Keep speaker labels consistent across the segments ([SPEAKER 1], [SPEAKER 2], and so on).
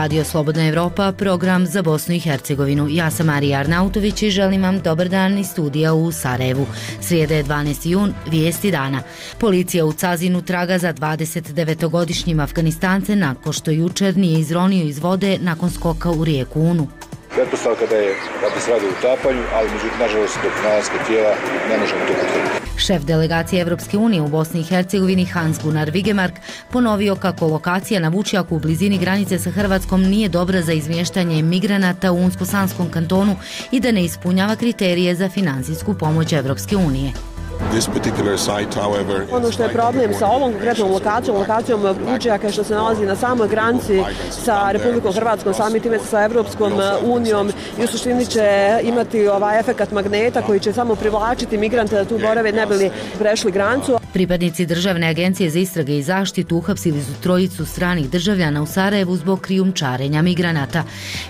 [SPEAKER 1] Radio Slobodna Evropa, program za Bosnu i Hercegovinu. Ja sam Marija Arnautović i želim vam dobar dan iz studija u Sarajevu. Srijeda je 12. jun, vijesti dana. Policija u Cazinu traga za 29-godišnjim Afganistance nakon što jučer nije izronio iz vode nakon skoka u rijeku Unu.
[SPEAKER 2] Pretpostavka da se radi o utapanju, ali međutim, nažalost, do pronalaska tijela ne možemo to potvrditi.
[SPEAKER 1] Šef delegacije Evropske unije u Bosni i Hercegovini Hans-Gunnar Vigemark ponovio kako lokacija na Vučjaku u blizini granice sa Hrvatskom nije dobra za izmještanje migranata u Unsko-Sanskom kantonu i da ne ispunjava kriterije za financijsku pomoć Evropske unije.
[SPEAKER 3] Ono što je problem sa ovom konkretnom lokacijom Vučjaka što se nalazi na samoj granici sa Republikom Hrvatskom, samim time sa Evropskom unijom i u suštini će imati efekat magneta koji će samo privlačiti migrante da tu borave ne bi li prešli granicu.
[SPEAKER 1] Pripadnici Državne agencije za istrage i zaštitu uhapsili su trojicu stranih državljana u Sarajevu zbog krijumčarenja migranata.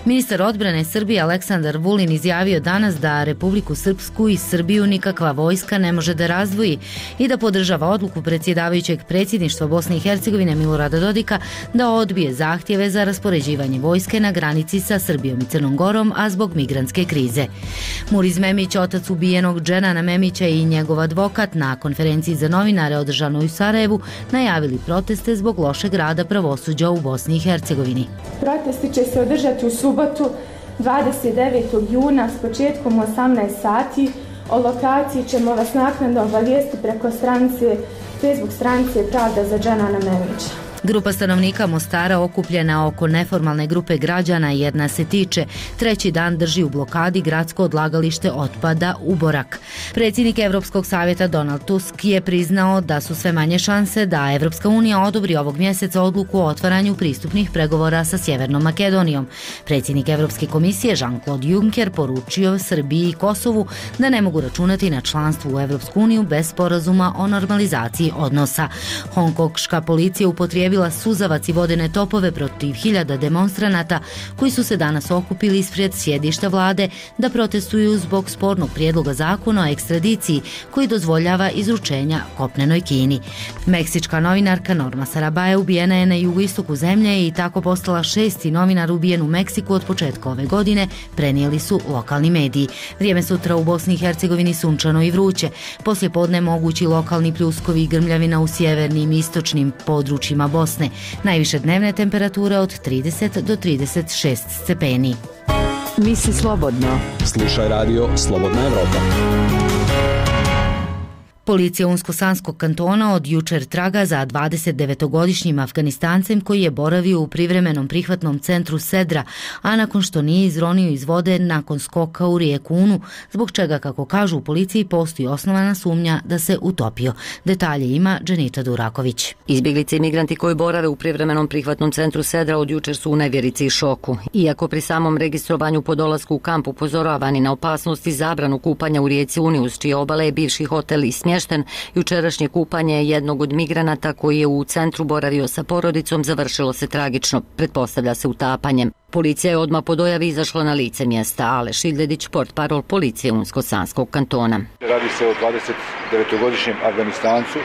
[SPEAKER 1] Ministar odbrane Srbije Aleksandar Vulin izjavio danas da Republiku Srpsku i Srbiju nikakva vojska ne može da razdvoji i da podržava odluku predsjedavajućeg predsjedništva Bosne i Hercegovine Milorada Dodika da odbije zahtjeve za raspoređivanje vojske na granici sa Srbijom i Crnom Gorom, a zbog migrantske krize. Muriz Memić, otac ubijenog Dženana Memića i njegov advokat na konferenciji za novinare održanoj u Sarajevu najavili proteste zbog lošeg rada pravosuđa u Bosni i Hercegovini.
[SPEAKER 4] Protesti će se održati u subotu 29. juna s početkom 18 sati. O lokaciji ćemo vas naknadno obavijestiti preko Facebook stranice Pravda za Dženana Memića.
[SPEAKER 1] Grupa stanovnika Mostara okupljena oko neformalne grupe građana Jedna se tiče, treći dan drži u blokadi gradsko odlagalište otpada Uborak. Predsjednik Evropskog savjeta Donald Tusk je priznao da su sve manje šanse da Evropska unija odobri ovog mjeseca odluku o otvaranju pristupnih pregovora sa Sjevernom Makedonijom. Predsjednik Evropske komisije Jean-Claude Juncker poručio Srbiji i Kosovu da ne mogu računati na članstvo u Evropsku uniju bez sporazuma o normalizaciji odnosa. Hongkongška policija upotrijebila suzavac i vodene topove protiv hiljada demonstranata koji su se danas okupili ispred sjedišta vlade da protestuju zbog spornog prijedloga zakona o ekstradiciji koji dozvoljava izručenja kopnenoj Kini. Meksička novinarka Norma Sarabaje ubijena je na jugoistoku zemlje i tako postala 6. novinar ubijen u Meksiku od početka ove godine, prenijeli su lokalni mediji. Vrijeme sutra u Bosni i Hercegovini sunčano i vruće. Poslije podne mogući lokalni pljuskovi i grmljavina u sjevernim i istočnim područjima Bosne. Najviše dnevne temperature od 30 do 36 stepeni.
[SPEAKER 5] Misli slobodno.
[SPEAKER 6] Slušaj radio Slobodna Evropa.
[SPEAKER 1] Policija Unsko-Sanskog kantona od jučer traga za 29-godišnjim Afganistancem koji je boravio u privremenom prihvatnom centru Sedra, a nakon što nije izronio iz vode nakon skoka u rijeku Unu, zbog čega, kako kažu u policiji, postoji osnovana sumnja da se utopio. Detalje ima Dženita Duraković.
[SPEAKER 7] Izbjeglice i migranti koji borave u privremenom prihvatnom centru Sedra od jučer su u nevjerici i šoku. Iako pri samom registrovanju po dolasku u kamp upozoravani na opasnost i zabranu kupanja u rijeci Uni uz čije obale je bivši hotel i smješten, jučerašnje kupanje jednog od migranata koji je u centru boravio sa porodicom završilo se tragično, pretpostavlja se utapanjem. Policija je odmah po dojavi izašla na lice mjesta. Aleš Ildedić, portparol policije Unsko-Sanskog kantona.
[SPEAKER 2] Radi se o 29-godišnjem Afganistancu,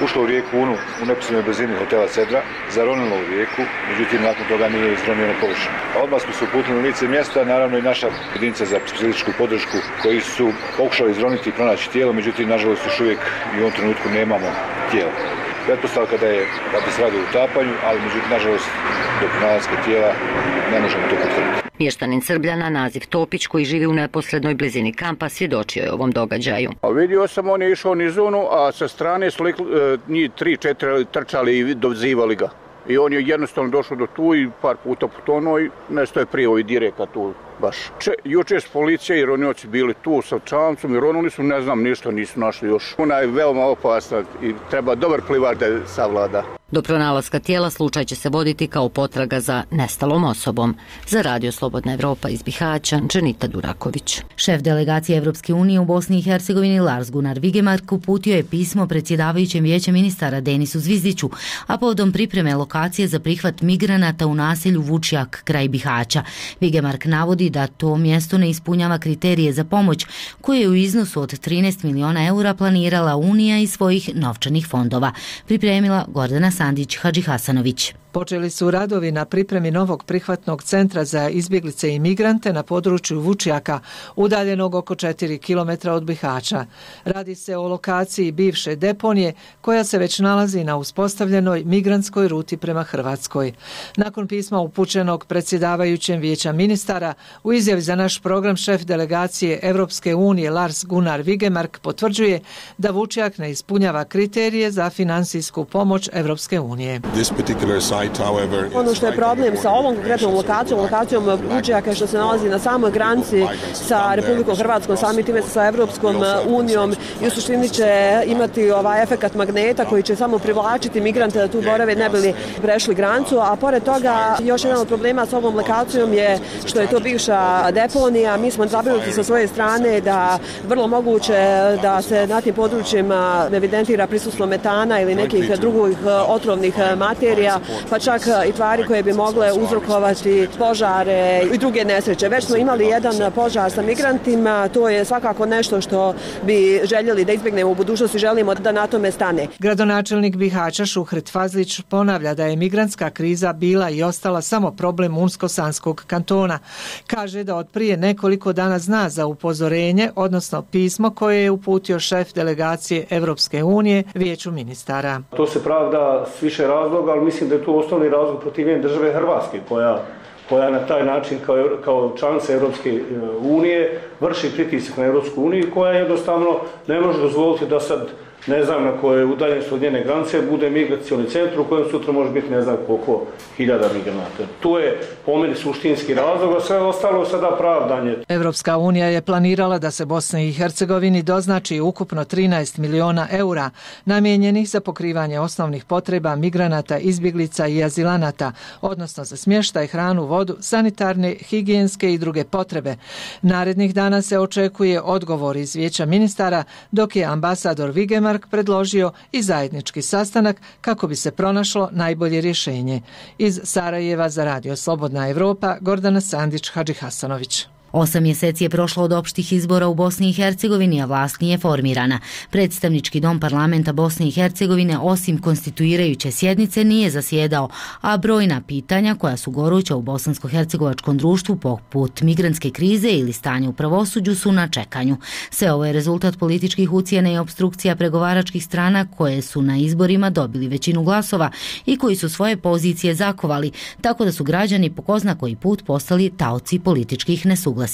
[SPEAKER 2] ušlo u rijeku Unu u neposrednoj blizini hotela Sedra, zaronilo u rijeku, međutim nakon toga nije izronio na površinu. Odmah smo se uputili na lice mjesta, naravno i naša jedinica za specijalističku podršku koji su pokušali izroniti i pronaći tijelo, međutim nažalost još uvijek i u ovom trenutku nemamo tijelo. Pretpostavka da se radi o utapanju, ali međutim nažalost do pronalaska tijela ne možemo to potvrditi.
[SPEAKER 7] Mještanin Srbljana Naziv Topić koji živi u neposrednoj blizini kampa svjedočio je ovom događaju.
[SPEAKER 8] Vidio sam, on je išao niz zonu, a sa strane su njih 3-4 trčali i dozivali ga. I on je jednostavno došao do tu i par puta potonuo i nešto je prije direka tu baš. Jučer s policija i ronioci bili tu sa čamcom i ronuli su, ne znam, ništa nisu našli još. Ona je veoma opasna i treba dobar plivač da je savlada.
[SPEAKER 7] Do pronalaska tijela slučaj će se voditi kao potraga za nestalom osobom. Za Radio Slobodna Evropa iz Bihaća, Dženita Duraković.
[SPEAKER 1] Šef delegacije Evropske unije u Bosni i Hercegovini Lars-Gunnar Vigemark uputio je pismo predsjedavajućem vijećem ministara Denisu Zvizdiću, a povodom pripreme lokacije za prihvat migranata u naselju Vučjak kraj Bihaća. Vigemark navodi da to mjesto ne ispunjava kriterije za pomoć koje je u iznosu od 13 miliona eura planirala Unija iz svojih novčanih fondova. Pripremila Gordana Sandić Hadžihasanović.
[SPEAKER 9] Počeli su radovi na pripremi novog prihvatnog centra za izbjeglice i migrante na području Vučjaka, udaljenog oko 4 km od Bihaća. Radi se o lokaciji bivše deponije koja se već nalazi na uspostavljenoj migrantskoj ruti prema Hrvatskoj. Nakon pisma upućenog predsjedavajućem Vijeća ministara, u izjavi za naš program šef delegacije Europske unije Lars Gunnar Vigemark potvrđuje da Vučjak ne ispunjava kriterije za financijsku pomoć Europske unije.
[SPEAKER 3] Ono što je problem sa ovom konkretnom lokacijom Vučjaka je što se nalazi na samoj granici sa Republikom Hrvatskom, samim time sa Europskom unijom i u suštini će imati efekat magneta koji će samo privlačiti migrante da tu borave ne bili prešli granicu, a pored toga još jedan od problema sa ovom lokacijom je što je to bivša deponija. Mi smo zabrinuti sa svoje strane da vrlo moguće da se na tim područjima evidentira prisustvo metana ili nekih drugih otrovnih materija, pa čak i tvari koje bi mogle uzrokovati požare i druge nesreće. Već smo imali jedan požar sa migrantima, to je svakako nešto što bi željeli da izbjegnemo u budućnosti, želimo da na tome stane.
[SPEAKER 9] Gradonačelnik Bihaća Šuhret Fazlić ponavlja da je migrantska kriza bila i ostala samo problem Unsko-Sanskog kantona. Kaže da od prije nekoliko dana zna za upozorenje, odnosno pismo koje je uputio šef delegacije Europske unije Vijeću ministara.
[SPEAKER 10] To se pravda s više razloga, ali mislim da je tu osnovni razlog protivljenja države Hrvatske koja na taj način kao članica Europske unije vrši pritisak na Europsku uniju, koja jednostavno ne može dozvoliti da sad ne znam na kojoj udaljenosti od njene granice bude migracioni centar u kojem sutra može biti ne znam koliko hiljada migranata. Tu je po meni suštinski razlog, a sve ostalo sada pravdanje.
[SPEAKER 9] Europska unija je planirala da se Bosni i Hercegovini doznači ukupno 13 miliona eura namijenjenih za pokrivanje osnovnih potreba migranata, izbjeglica i azilanata, odnosno za smještaj, hranu, vodu, sanitarne, higijenske i druge potrebe. Narednih dana se očekuje odgovor iz Vijeća ministara, dok je ambasador Vigemark predložio i zajednički sastanak kako bi se pronašlo najbolje rješenje. Iz Sarajeva za Radio Slobodna Evropa, Gordana Sandić, Hadžihasanović.
[SPEAKER 1] 8 mjeseci je prošlo od opštih izbora u Bosni i Hercegovini, a vlast nije formirana. Predstavnički dom parlamenta Bosne i Hercegovine osim konstituirajuće sjednice nije zasjedao, a brojna pitanja koja su goruća u bosansko-hercegovačkom društvu poput migrantske krize ili stanja u pravosuđu su na čekanju. Sve ovo je rezultat političkih ucjena i opstrukcija pregovaračkih strana koje su na izborima dobili većinu glasova i koji su svoje pozicije zakovali, tako da su građani po ko zna koji put postali taoci političkih nesuglasica.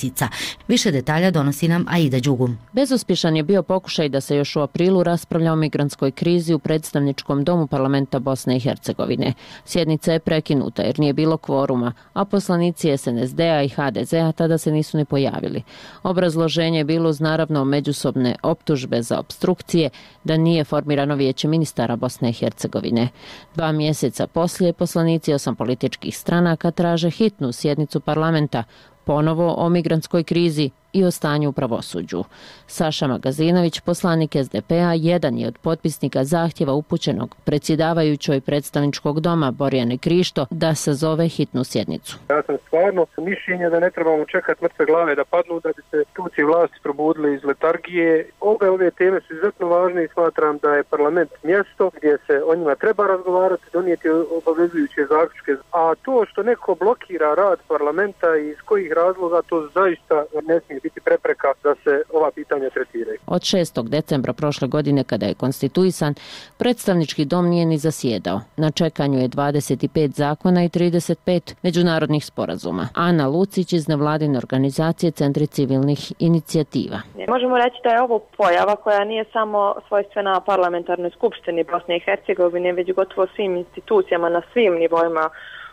[SPEAKER 1] Više detalja donosi nam Aida Đugum.
[SPEAKER 11] Bezuspješan je bio pokušaj da se još u aprilu raspravlja o migrantskoj krizi u predstavničkom domu parlamenta Bosne i Hercegovine. Sjednica je prekinuta jer nije bilo kvoruma, a poslanici SNSD-a i HDZ-a tada se nisu ni pojavili. Obrazloženje je bilo uz naravno međusobne optužbe za opstrukcije da nije formirano Vijeće ministara Bosne i Hercegovine. 2 mjeseca poslije poslanici 8 političkih stranaka traže hitnu sjednicu parlamenta ponovo o migrantskoj krizi i o stanju u pravosuđu. Saša Magazinović, poslanik SDP-a, jedan je od potpisnika zahtjeva upućenog predsjedavajućoj predstavničkog doma Borjane Krišto da sazove hitnu sjednicu.
[SPEAKER 12] Ja sam stvarno mišljenja da ne trebamo čekati mrtve glave da padnu da bi se institucije vlasti probudili iz letargije. Ove teme su izuzetno važne i smatram da je parlament mjesto gdje se o njima treba razgovarati, donijeti obavezujuće zaključke. A to što neko blokira rad parlamenta i iz kojih razloga, to zaista ne smije biti prepreka da se ova pitanja tretiraju.
[SPEAKER 11] Od 6. decembra prošle godine, kada je konstituisan, predstavnički dom nije ni zasjedao. Na čekanju je 25 zakona i 35 međunarodnih sporazuma. Ana Lucić iz nevladine organizacije Centri civilnih inicijativa.
[SPEAKER 13] Možemo reći da je ovo pojava koja nije samo svojstvena parlamentarnoj skupštini Bosne i Hercegovine, već gotovo svim institucijama na svim nivoima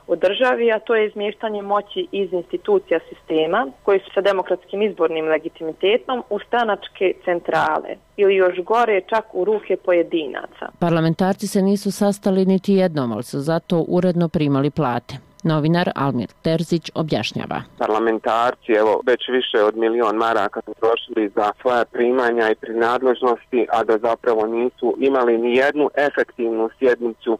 [SPEAKER 13] u državi, a to je izmještanje moći iz institucija sistema koji su sa demokratskim izbornim legitimitetom u stranačke centrale ili još gore čak u ruke pojedinaca.
[SPEAKER 11] Parlamentarci se nisu sastali niti jednom, ali su zato uredno primali plate. Novinar Almir Terzić objašnjava.
[SPEAKER 14] Parlamentarci, već više od 1 milion maraka su trošili za svoja primanja i prinadležnosti, a da zapravo nisu imali ni jednu efektivnu sjednicu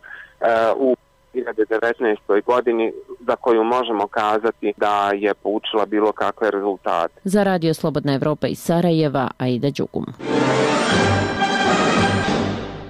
[SPEAKER 14] u 2019. godini za koju možemo kazati da je poučila bilo kakve rezultate.
[SPEAKER 11] Za Radio Slobodna Evropa iz Sarajeva, Aida Đugum.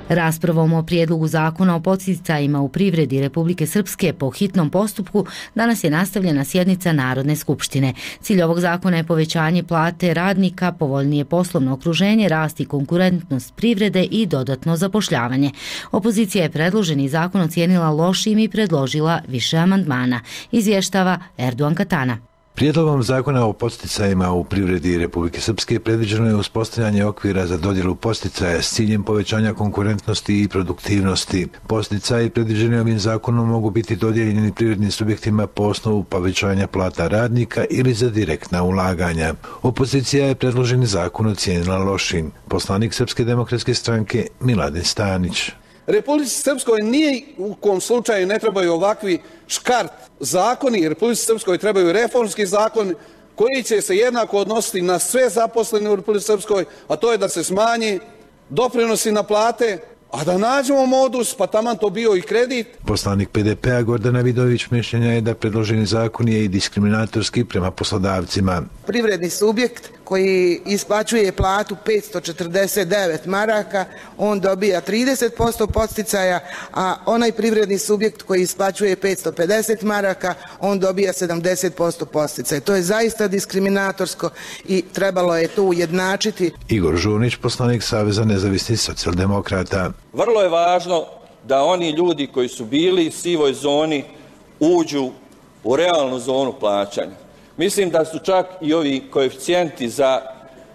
[SPEAKER 1] Raspravom o prijedlogu zakona o podsticajima u privredi Republike Srpske po hitnom postupku danas je nastavljena sjednica Narodne skupštine. Cilj ovog zakona je povećanje plate radnika, povoljnije poslovno okruženje, rast i konkurentnost privrede i dodatno zapošljavanje. Opozicija je predloženi zakon ocijenila lošim i predložila više amandmana. Izvještava Erdogan Katana.
[SPEAKER 15] Prijedlogom zakona o podsticajima u privredi Republike Srpske predviđeno je uspostavljanje okvira za dodjelu podsticaja s ciljem povećanja konkurentnosti i produktivnosti. Podsticaji predviđeni ovim zakonom mogu biti dodijeljeni privrednim subjektima po osnovu povećanja plata radnika ili za direktna ulaganja. Opozicija je predloženi zakon ocijenila lošim. Poslanik Srpske demokratske stranke Miladin Stanić.
[SPEAKER 16] Republici Srpskoj nije u kom slučaju ne trebaju ovakvi škart zakoni, Republici Srpskoj trebaju reformski zakon koji će se jednako odnositi na sve zaposlene u Republici Srpskoj, a to je da se smanji doprinosi na plate, a da nađemo modus, pa taman to bio i kredit.
[SPEAKER 15] Poslanik PDP-a Gordana Vidović mišljenja je da predloženi zakon je i diskriminatorski prema poslodavcima.
[SPEAKER 17] Privredni subjekt koji isplaćuje platu 549 maraka, on dobija 30% podsticaja, a onaj privredni subjekt koji isplaćuje 550 maraka, on dobija 70% podsticaja. To je zaista diskriminatorsko i trebalo je to ujednačiti.
[SPEAKER 15] Igor Žunić, poslanik Saveza nezavisnih socijaldemokrata.
[SPEAKER 18] Vrlo je važno da oni ljudi koji su bili u sivoj zoni uđu u realnu zonu plaćanja. Mislim da su čak i ovi koeficijenti za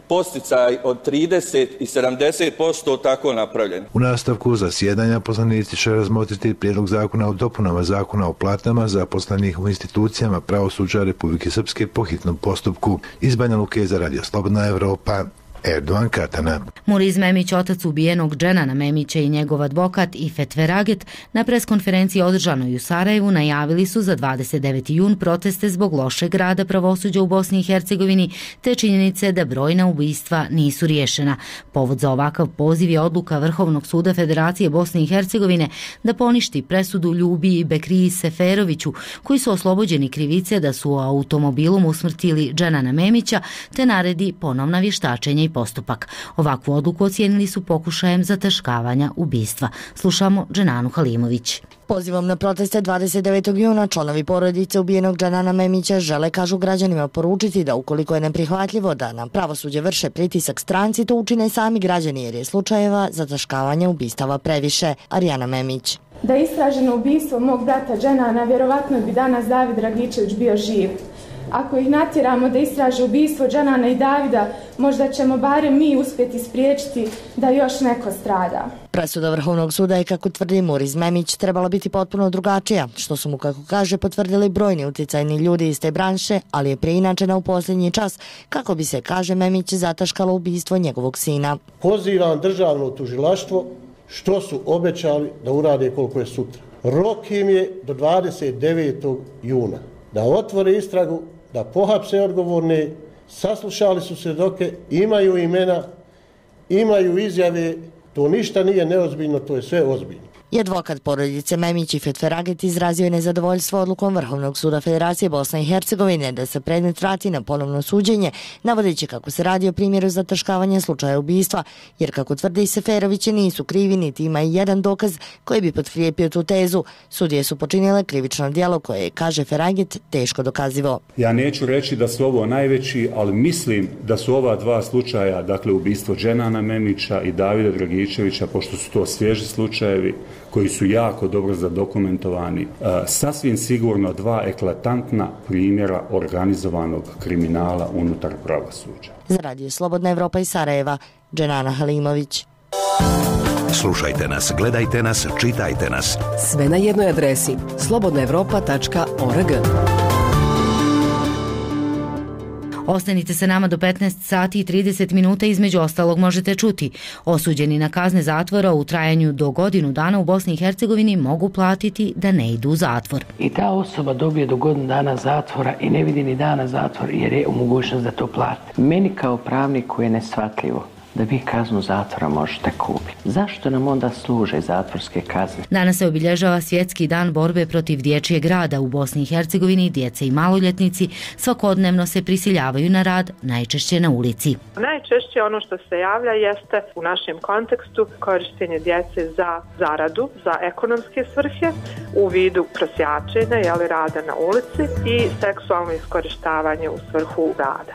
[SPEAKER 18] podsticaj od 30 i 70% tako napravljeni.
[SPEAKER 15] U nastavku zasjedanja poslanici će razmotriti prijedlog zakona o dopunama zakona o platama zaposlenih u institucijama pravosuđa Republike Srpske po hitnom postupku. Iz Banja Luke za Radio Slobodna Evropa, Erdogan Katana.
[SPEAKER 1] Muriz Memić, otac ubijenog Dženana Memića i njegov advokat Ifet Veraget, na preskonferenciji održanoj u Sarajevu najavili su za 29. jun proteste zbog lošeg rada pravosuđa u Bosni i Hercegovini te činjenice da brojna ubistva nisu riješena. Povod za ovakav poziv je odluka Vrhovnog suda Federacije Bosne i Hercegovine da poništi presudu Ljubi i Bekriji Seferoviću, koji su oslobođeni krivice da su automobilom usmrtili Dženana Memića, te naredi ponovna vještačenja i postupak. Ovakvu odluku ocijenili su pokušajem zataškavanja ubistva. Slušamo Dženanu Halimović.
[SPEAKER 19] Pozivom na proteste 29. juna članovi porodice ubijenog Dženana Memića žele, kažu građanima, poručiti da ukoliko je neprihvatljivo da na pravosuđe vrše pritisak stranci, to učine sami građani jer je slučajeva zataškavanja ubistava previše. Arijana Memić.
[SPEAKER 4] Da je istraženo ubistvo mog brata Dženana, vjerovatno bi danas David Dragičević bio živ. Ako ih natjeramo da istraže ubistvo Dženana i Davida, možda ćemo barem mi uspjeti spriječiti da još neko strada.
[SPEAKER 19] Presuda Vrhovnog suda je, kako tvrdi Muriz Memić, trebala biti potpuno drugačija, što su mu, kako kaže, potvrdili brojni utjecajni ljudi iz te branše, ali je preinačena u posljednji čas, kako bi se, kaže Memić, zataškalo ubistvo njegovog sina.
[SPEAKER 20] Pozivam državno tužilaštvo što su obećali da urade koliko je sutra. Rok im je do 29. juna da otvore istragu, da pohapse odgovorne, saslušali su svjedoke, imaju imena, imaju izjave, to ništa nije neozbiljno, to je sve ozbiljno.
[SPEAKER 19] I advokat porodice Memić Ifet Veraget izrazio je nezadovoljstvo odlukom Vrhovnog suda Federacije Bosne i Hercegovine da se predmet vrati na ponovno suđenje, navodeći kako se radi o primjeru zataškavanja slučaja ubistva, jer, kako tvrdi Seferovići, nisu krivi niti ima i jedan dokaz koji bi potkrijepio tu tezu. Sudije su počinile krivično djelo koje je, kaže Veraget, teško dokazivo.
[SPEAKER 21] Ja neću reći da su ovo najveći, ali mislim da su ova dva slučaja, dakle ubistvo Dženana Memića i Davida Dragičevića, pošto su to svježi slučajevi koji su jako dobro zadokumentovani, sasvim sigurno dva eklatantna primjera organizovanog kriminala unutar pravosuđa.
[SPEAKER 19] Za Radio Slobodna Evropa iz Sarajeva, Dženana Halimović.
[SPEAKER 22] Slušajte nas, gledajte nas, čitajte nas.
[SPEAKER 5] Sve na jednoj adresi slobodnaevropa.org.
[SPEAKER 1] Ostanite sa nama do 15 sati i 30 minuta, između ostalog možete čuti. Osuđeni na kazne zatvora u trajanju do godinu dana u Bosni i Hercegovini mogu platiti da ne idu u zatvor.
[SPEAKER 23] I ta osoba dobije do godinu dana zatvora i ne vidi ni dana zatvor jer je u mogućnost da to plati. Meni kao pravniku je neshvatljivo da vi kaznu zatvora možete kupiti. Zašto nam onda služe zatvorske kazne?
[SPEAKER 1] Danas se obilježava Svjetski dan borbe protiv dječjeg rada u Bosni i Hercegovini. Djeca i maloljetnici svakodnevno se prisiljavaju na rad, najčešće na ulici.
[SPEAKER 2] Najčešće ono što se javlja jeste u našem kontekstu korištenje djece za zaradu, za ekonomske svrhe u vidu prosjačenja, rada na ulici i seksualno iskorištavanje u svrhu rada.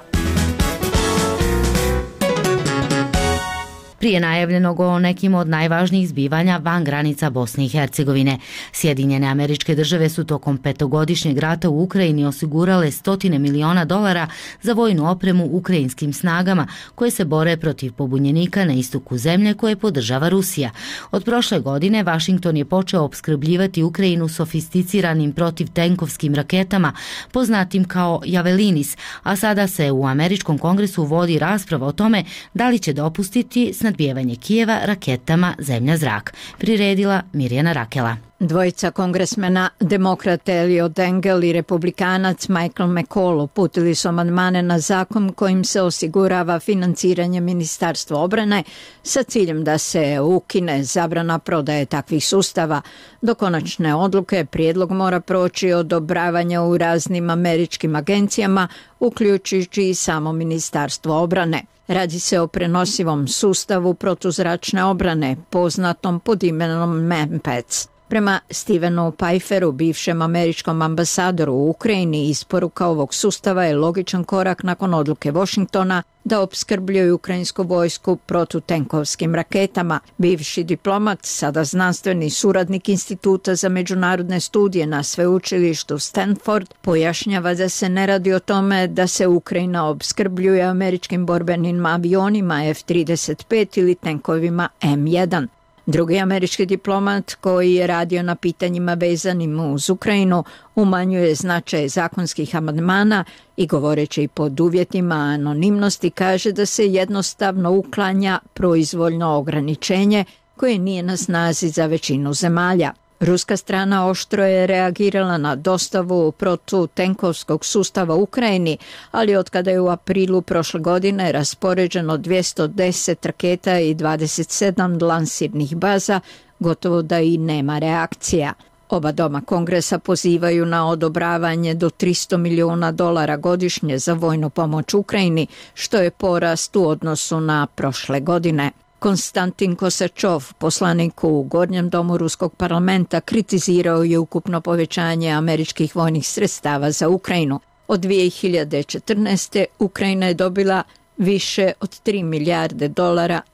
[SPEAKER 1] Prije najavljenog o nekim od najvažnijih zbivanja van granica Bosne i Hercegovine. Sjedinjene Američke Države su tokom 5-godišnjeg rata u Ukrajini osigurale $100 miliona za vojnu opremu ukrajinskim snagama koje se bore protiv pobunjenika na istoku zemlje koje podržava Rusija. Od prošle godine Washington je počeo opskrbljivati Ukrajinu sofisticiranim protivtenkovskim raketama poznatim kao Javelinis, a sada se u Američkom kongresu vodi rasprava o tome da li će dopustiti snadbijevanje Kijeva raketama zemlja-zrak. Priredila Mirjana Rakela.
[SPEAKER 6] Dvojica kongresmena, demokrat Eliot Engel i republikanac Michael McCall, uputili su amandmane na zakon kojim se osigurava financiranje Ministarstva obrane sa ciljem da se ukine zabrana prodaje takvih sustava. Do konačne odluke prijedlog mora proći odobravanja u raznim američkim agencijama, uključujući i samo Ministarstvo obrane. Radi se o prenosivom sustavu protuzračne obrane, poznatom pod imenom MANPADS. Prema Stevenu Pfeifferu, bivšem američkom ambasadoru u Ukrajini, isporuka ovog sustava je logičan korak nakon odluke Washingtona da opskrbljuje ukrajinsku vojsku protutenkovskim raketama. Bivši diplomat, sada znanstveni suradnik Instituta za međunarodne studije na sveučilištu Stanford, pojašnjava da se ne radi o tome da se Ukrajina opskrbljuje američkim borbenim avionima F-35 ili tenkovima M1. Drugi američki diplomat koji je radio na pitanjima vezanim uz Ukrajinu umanjuje značaj zakonskih amandmana i govoreći pod uvjetima anonimnosti kaže da se jednostavno uklanja proizvoljno ograničenje koje nije na snazi za većinu zemalja. Ruska strana oštro je reagirala na dostavu protutenkovskog sustava Ukrajini, ali otkada je u aprilu prošle godine raspoređeno 210 raketa i 27 lansirnih baza, gotovo da i nema reakcija. Oba doma kongresa pozivaju na odobravanje do $300 miliona godišnje za vojnu pomoć Ukrajini, što je porast u odnosu na prošle godine. Konstantin Kosačov, poslanik u Gornjem domu Ruskog parlamenta, kritizirao je ukupno povećanje američkih vojnih sredstava za Ukrajinu. Od 2014. Ukrajina je dobila više od $3 milijarde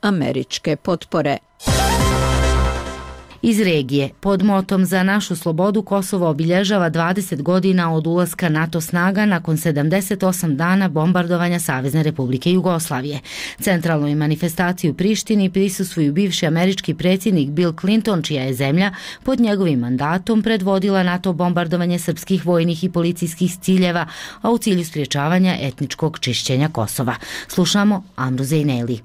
[SPEAKER 6] američke potpore. Iz regije, pod motom Za našu slobodu, Kosovo obilježava 20 godina od ulaska NATO snaga nakon 78 dana bombardovanja Savezne Republike Jugoslavije. Centralnoj manifestaciji u Prištini prisustvuju bivši američki predsjednik Bill Clinton, čija je zemlja pod njegovim mandatom predvodila NATO bombardovanje srpskih vojnih i policijskih ciljeva, a u cilju sprječavanja etničkog čišćenja Kosova. Slušamo Amru Zejneli.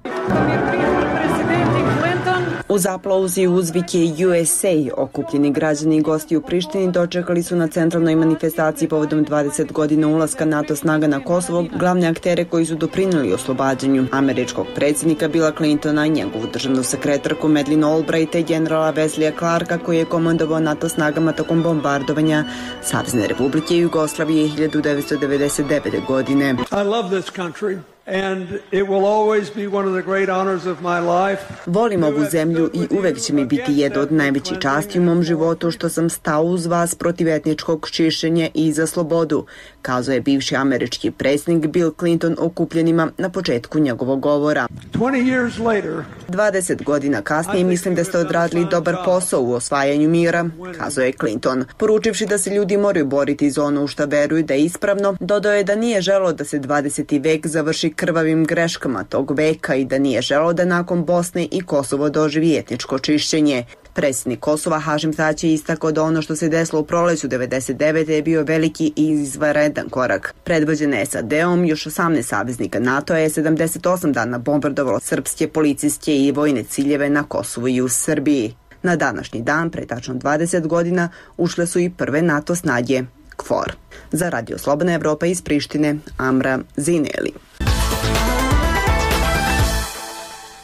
[SPEAKER 8] Uz aplauz i uzvike USA, okupljeni građani i gosti u Prištini dočekali su na centralnoj manifestaciji povodom 20 godina ulaska NATO snaga na Kosovo glavne aktere koji su doprinijeli oslobađanju američkog predsjednika Billa Clintona, njegovu državnu sekretarku Madeleine Albrighta i generala Wesleyja Clarka koji je komandovao NATO snagama tokom bombardovanja Savezne Republike Jugoslavije 1999. godine.
[SPEAKER 24] I love this country. And it will always be one of the great honors of my life.
[SPEAKER 8] Volim ovu zemlju i uvek će mi biti jedna od najvećih časti u mom životu što sam stao uz vas protiv etničkog čišćenja i za slobodu, kazao je bivši američki predsjednik Bill Clinton okupljenima na početku njegovog govora. 20 godina kasnije mislim da ste odradili dobar posao u osvajanju mira, kazao je Clinton. Poručivši da se ljudi moraju boriti za ono u šta veruju da je ispravno, dodao je da nije želeo da se 20. vek završi krvavim greškama tog veka i da nije želeo da nakon Bosne i Kosovo doživi etničko čišćenje. Predsjednik Kosova Hašim Tači je istakao da ono što se desilo u proleću 1999. je bio veliki i izvanredan korak. Predvođen SAD-om, još 18 saveznika NATO-a je 78 dana bombardovalo srpske policijske i vojne ciljeve na Kosovu i u Srbiji. Na današnji dan, pre tačno 20 godina, ušle su i prve NATO snage KFOR. Za Radio Slobodna Evropa iz Prištine, Amra Zineli.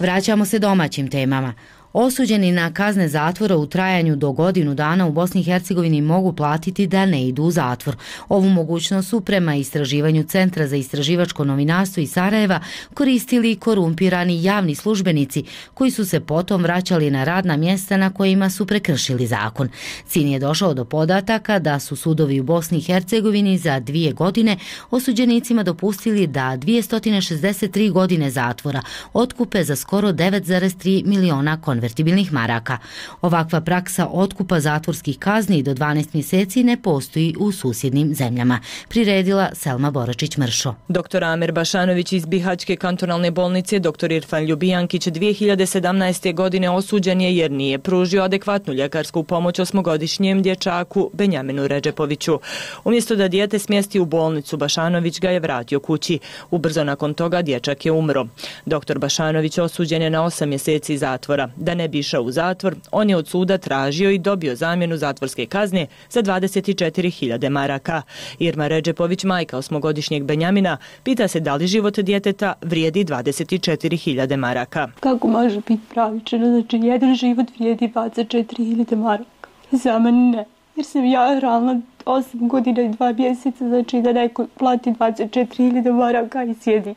[SPEAKER 1] Vraćamo se domaćim temama. Osuđeni na kazne zatvora u trajanju do godinu dana u Bosni i Hercegovini mogu platiti da ne idu u zatvor. Ovu mogućnost su prema istraživanju Centra za istraživačko novinarstvo iz Sarajeva koristili korumpirani javni službenici koji su se potom vraćali na radna mjesta na kojima su prekršili zakon. Sin je došao do podataka da su sudovi u Bosni i Hercegovini za 2 godine osuđenicima dopustili da 263 godine zatvora otkupe za skoro 9,3 miliona konvertibilnih maraka. Ovakva praksa otkupa zatvorskih kazni do 12 mjeseci ne postoji u susjednim zemljama. Priredila Selma Boračić-Mršo.
[SPEAKER 3] Dr. Amer Bašanović iz Bihaćke kantonalne bolnice, dr. Irfan Ljubijankić 2017. godine osuđen je jer nije pružio adekvatnu ljekarsku pomoć 8-godišnjem dječaku Benjaminu Redžepoviću. Umjesto da dijete smjesti u bolnicu, Bašanović ga je vratio kući. Ubrzo nakon toga dječak je umro. Dr. Bašanović osuđen je na 8 mjeseci zatvora. Da ne bi išao u zatvor, on je od suda tražio i dobio zamjenu zatvorske kazne za 24.000 maraka. Irma Redžepović, majka 8-godišnjeg Benjamina, pita se da li život djeteta vrijedi 24.000 maraka.
[SPEAKER 7] Kako može biti pravičeno? Znači, jedan život vrijedi 24.000 maraka. Za mene ne, jer sam ja realno 8 godina i 2 mjeseca, znači da neko plati 24.000 maraka i sjedi.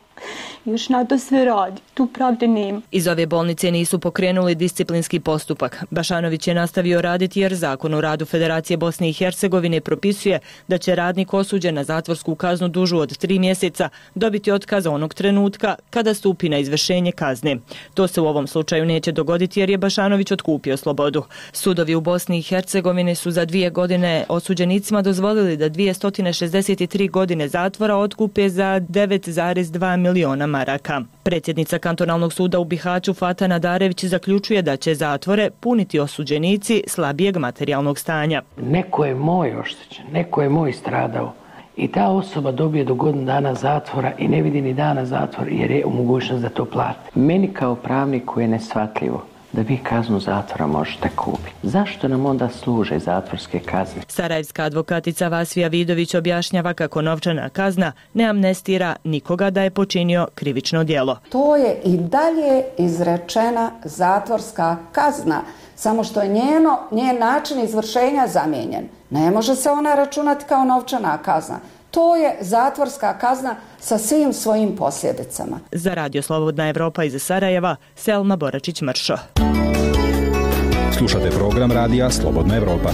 [SPEAKER 7] Još na to sve radi, tu pravde nema.
[SPEAKER 3] Iz ove bolnice nisu pokrenuli disciplinski postupak. Bašanović je nastavio raditi jer Zakon o radu Federacije Bosne i Hercegovine propisuje da će radnik osuđen na zatvorsku kaznu dužu od 3 mjeseca dobiti otkaz onog trenutka kada stupi na izvršenje kazne. To se u ovom slučaju neće dogoditi jer je Bašanović otkupio slobodu. Sudovi u Bosni i Hercegovini su za 2 godine osuđenicima dozvolili da 263 godine zatvora otkupe za 9,2 miliona maraka. Predsjednica kantonalnog suda u Bihaću Fata Nadarević zaključuje da će zatvore puniti osuđenici slabijeg materijalnog stanja.
[SPEAKER 23] Neko je moj oštećen, neko je moj stradao i ta osoba dobije do godinu dana zatvora i ne vidi ni dana zatvora jer je u mogućnost da to plati. Meni kao pravniku je neshvatljivo da vi kaznu zatvora možete kupiti. Zašto nam onda služe zatvorske kazne?
[SPEAKER 3] Sarajevska advokatica Vasija Vidović objašnjava kako novčana kazna ne amnestira nikoga da je počinio krivično djelo.
[SPEAKER 9] To je i dalje izrečena zatvorska kazna, samo što je njen način izvršenja zamijenjen. Ne može se ona računati kao novčana kazna. To je zatvorska kazna sa svim svojim posljedicama.
[SPEAKER 3] Za Radio Slobodna Evropa iz Sarajeva, Selma Boračić-Mršo.
[SPEAKER 10] Slušate program radija Slobodna Evropa.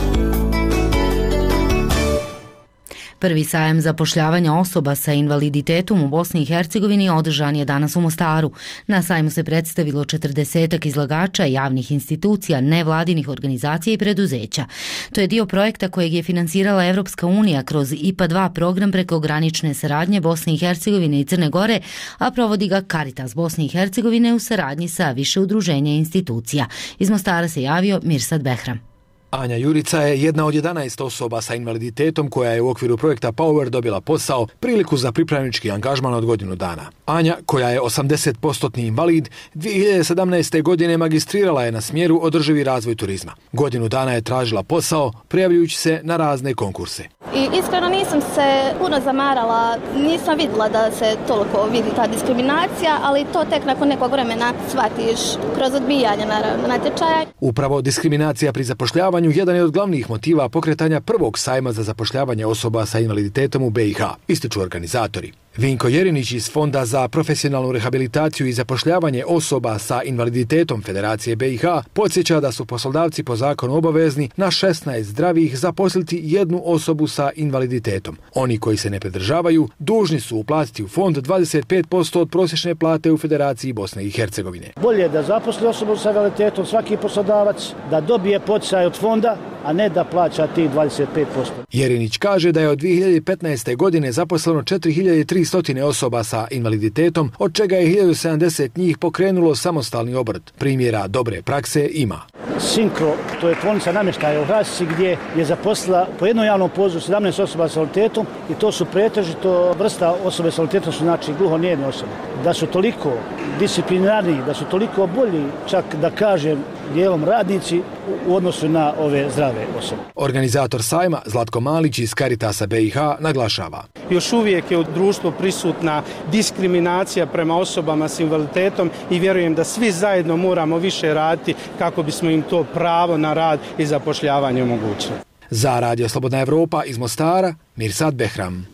[SPEAKER 1] Prvi sajam zapošljavanja osoba sa invaliditetom u Bosni i Hercegovini održan je danas u Mostaru. Na sajmu se predstavilo 40 izlagača javnih institucija, nevladinih organizacija i preduzeća. To je dio projekta kojeg je finansirala Evropska unija kroz IPA 2 program prekogranične saradnje Bosne i Hercegovine i Crne Gore, a provodi ga Caritas Bosne i Hercegovine u saradnji sa više udruženja i institucija. Iz Mostara se javio Mirsad Behram.
[SPEAKER 25] Anja Jurica je jedna od 11 osoba sa invaliditetom koja je u okviru projekta Power dobila posao, priliku za pripravnički angažman od godinu dana. Anja, koja je 80% invalid, 2017. godine magistrirala je na smjeru održivi razvoj turizma. Godinu dana je tražila posao, prijavljujući se na razne konkurse.
[SPEAKER 26] I iskreno nisam se puno zamarala, nisam vidjela da se toliko vidi ta diskriminacija, ali to tek nakon nekog vremena shvatiš kroz odbijanje natječaja.
[SPEAKER 25] Upravo diskriminacija pri zapošljavanju jedan je od glavnih motiva pokretanja prvog sajma za zapošljavanje osoba sa invaliditetom u BiH, ističu organizatori. Vinko Jerinić iz Fonda za profesionalnu rehabilitaciju i zapošljavanje osoba sa invaliditetom Federacije BiH podsjeća da su poslodavci po zakonu obavezni na 16 zdravih zaposliti jednu osobu sa invaliditetom. Oni koji se ne pridržavaju dužni su uplatiti u fond 25% od prosječne plate u Federaciji Bosne i Hercegovine.
[SPEAKER 27] Bolje je da zaposli osobu sa invaliditetom svaki poslodavac, da dobije poticaj od fonda, a ne da plaća tih 25%.
[SPEAKER 25] Jerinić kaže da je od 2015. godine zaposleno 4300 osoba sa invaliditetom, od čega je 1070 njih pokrenulo samostalni obrt. Primjera dobre prakse ima.
[SPEAKER 27] Sinkro, to je tvornica namještaja u Hrasici gdje je zaposlila po jednom javnom pozivu 17 osoba sa invaliditetom i to su pretežito vrsta osobe sa invaliditetom, su znači gluhonijeme osobe. Da su toliko disciplinarniji, da su toliko bolji, čak da kažem dijelom radnici u odnosu na ove zdrave osobe.
[SPEAKER 25] Organizator sajma Zlatko Malić iz Caritasa BiH naglašava.
[SPEAKER 11] Još uvijek je u društvu prisutna diskriminacija prema osobama s invaliditetom i vjerujem da svi zajedno moramo više raditi kako bismo im to pravo na rad i zapošljavanje omogućili.
[SPEAKER 25] Za Radio Slobodna Evropa iz Mostara, Mirsad Behram.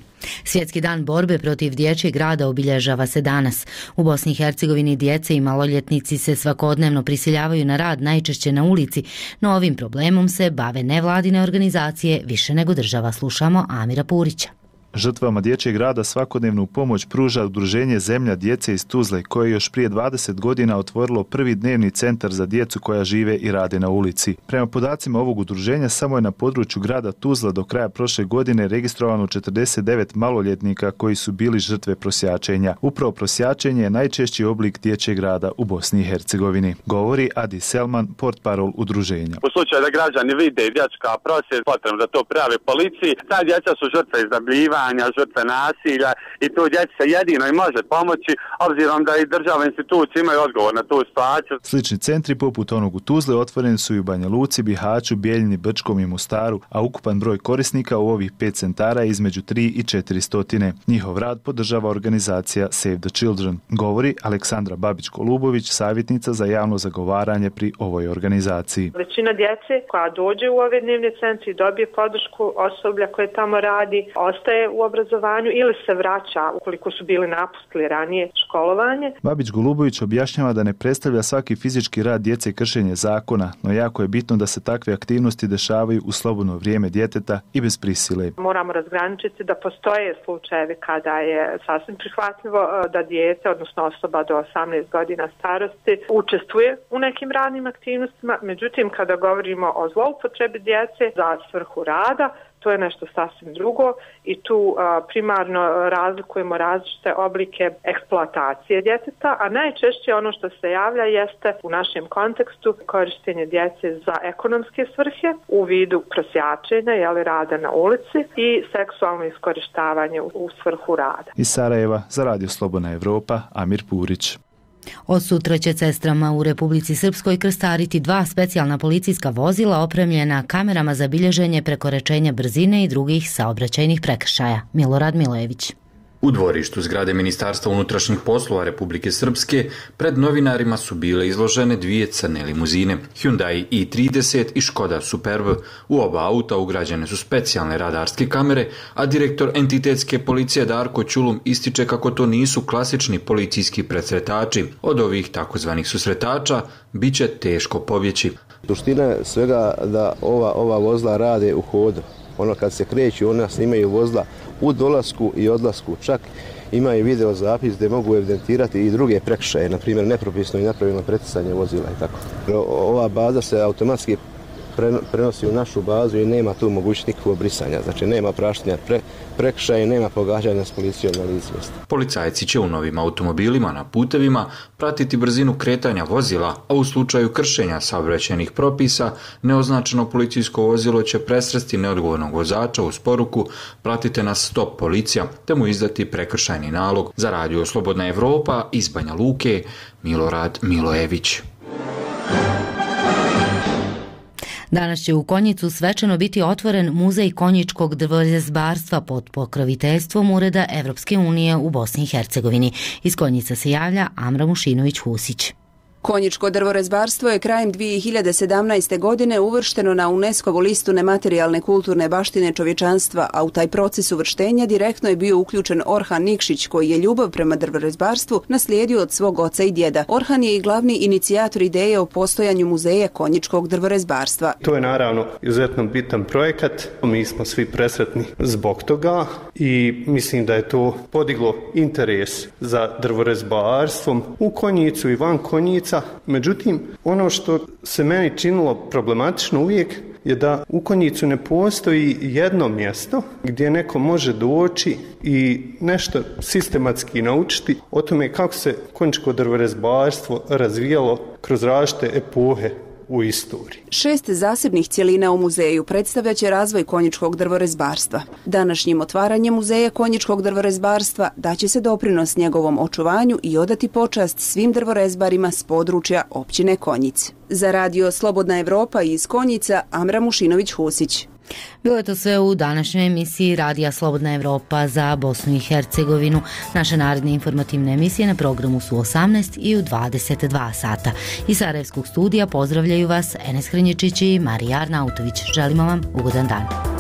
[SPEAKER 1] Svjetski dan borbe protiv dječjeg rada obilježava se danas. U Bosni i Hercegovini djece i maloljetnici se svakodnevno prisiljavaju na rad, najčešće na ulici, no ovim problemom se bave nevladine organizacije više nego država. Slušamo Amira Purića.
[SPEAKER 12] Žrtvama dječjeg rada svakodnevnu pomoć pruža udruženje Zemlja djece iz Tuzle, koje je još prije 20 godina otvorilo prvi dnevni centar za djecu koja žive i rade na ulici. Prema podacima ovog udruženja, samo je na području grada Tuzla do kraja prošle godine registrovano 49 maloljetnika koji su bili žrtve prosjačenja. Upravo prosjačenje je najčešći oblik dječjeg rada u Bosni i Hercegovini, govori Adi Selman, portparol udruženja.
[SPEAKER 13] U slučaju da građani vide dječka prosvjed, potrebno da to prijave policiji. Ta djeca su žrtve iznajmljivanja, žrtve nasilja i tu djeci se jedino i može pomoći, obzirom da i državne institucije imaju odgovor na tu situaciju.
[SPEAKER 12] Slični centri poput onog u Tuzle otvoreni su i u Banja Luci, Bihaću, Bijeljini, Brčkom i Mostaru, a ukupan broj korisnika u ovih 5 centara je između 3 i 400. Njihov rad podržava organizacija Save the Children, govori Aleksandra Babić-Kolubović, savjetnica za javno zagovaranje pri ovoj organizaciji.
[SPEAKER 2] Većina djece koja dođe u ove dnevne centre i dobije podršku osoblja koje tamo radi, ostaje u obrazovanju ili se vraća ukoliko su bili napustili ranije školovanje.
[SPEAKER 12] Babić-Golubović objašnjava da ne predstavlja svaki fizički rad djece kršenje zakona, no jako je bitno da se takve aktivnosti dešavaju u slobodno vrijeme djeteta i bez prisile.
[SPEAKER 2] Moramo razgraničiti da postoje slučajevi kada je sasvim prihvatljivo da dijete, odnosno osoba do 18 godina starosti, učestvuje u nekim radnim aktivnostima. Međutim, kada govorimo o zloupotrebi djece za svrhu rada, to je nešto sasvim drugo i tu primarno razlikujemo različite oblike eksploatacije djeteta, a najčešće ono što se javlja jeste u našem kontekstu korištenje djece za ekonomske svrhe u vidu prosjačenja, rada na ulici i seksualno iskorištavanje u svrhu rada.
[SPEAKER 12] Iz Sarajeva za Radio Slobodna Evropa, Amir Purić.
[SPEAKER 1] Od sutra će cestrama u Republici Srpskoj krstariti 2 specijalna policijska vozila opremljena kamerama za bilježenje prekoračenja brzine i drugih saobraćajnih prekršaja. Milorad Milojević.
[SPEAKER 14] U dvorištu zgrade Ministarstva unutrašnjih poslova Republike Srpske pred novinarima su bile izložene 2 crne limuzine, Hyundai i30 i Škoda Superb. U oba auta ugrađene su specijalne radarske kamere, a direktor entitetske policije Darko Ćulum ističe kako to nisu klasični policijski presretači. Od ovih takozvanih susretača bit će teško pobjeći.
[SPEAKER 16] Suština je svega da ova vozila rade u hodu. Ono kad se kreću, ona snimaju vozila u dolasku i odlasku, čak imaju video zapis gdje mogu evidentirati i druge prekršaje, na primjer nepropisno i nepravilno preticanje vozila i tako. Ova baza se automatski prenosi u našu bazu i nema tu mogućnosti nikakvog brisanja, znači nema praštanja prekršaja i nema pogađanja s policijom na licu mjesta.
[SPEAKER 14] Policajci će u novim automobilima na putevima pratiti brzinu kretanja vozila, a u slučaju kršenja saobraćajnih propisa neoznačeno policijsko vozilo će presresti neodgovornog vozača uz poruku "Pratite nas, stop policija", te mu izdati prekršajni nalog. Za Radio Slobodna Evropa iz Banja Luke, Milorad Milojević.
[SPEAKER 1] Danas će u Konjicu svečano biti otvoren Muzej konjičkog drvorezbarstva pod pokroviteljstvom Ureda Evropske unije u Bosni i Hercegovini. Iz Konjica se javlja Amra Mušinović-Husić.
[SPEAKER 17] Konjičko drvorezbarstvo je krajem 2017. godine uvršteno na UNESCO-vu listu nematerijalne kulturne baštine čovječanstva, a u taj proces uvrštenja direktno je bio uključen Orhan Nikšić, koji je ljubav prema drvorezbarstvu naslijedio od svog oca i djeda. Orhan je i glavni inicijator ideje o postojanju muzeja konjičkog drvorezbarstva.
[SPEAKER 18] To je naravno izuzetno bitan projekat. Mi smo svi presretni zbog toga i mislim da je to podiglo interes za drvorezbarstvom u Konjicu i van Konjica. Međutim, ono što se meni činilo problematično uvijek je da u Konjicu ne postoji jedno mjesto gdje neko može doći i nešto sistematski naučiti o tome kako se konjičko drvorezbarstvo razvijalo kroz različite epohe u istoriji.
[SPEAKER 17] 6 zasebnih cjelina u muzeju predstavljaće razvoj konjičkog drvorezbarstva. Današnjim otvaranjem muzeja konjičkog drvorezbarstva daće se doprinos njegovom očuvanju i odati počast svim drvorezbarima s područja općine Konjic. Za radio Slobodna Evropa iz Konjica, Amra Mušinović-Husić.
[SPEAKER 1] Bilo je to sve u današnjoj emisiji Radija Slobodna Evropa za Bosnu i Hercegovinu. Naše naredne informativne emisije na programu su 18 i u 22 sata. Iz Sarajevskog studija pozdravljaju vas Enes Hrinječić i Marija Arnautović. Želimo vam ugodan dan.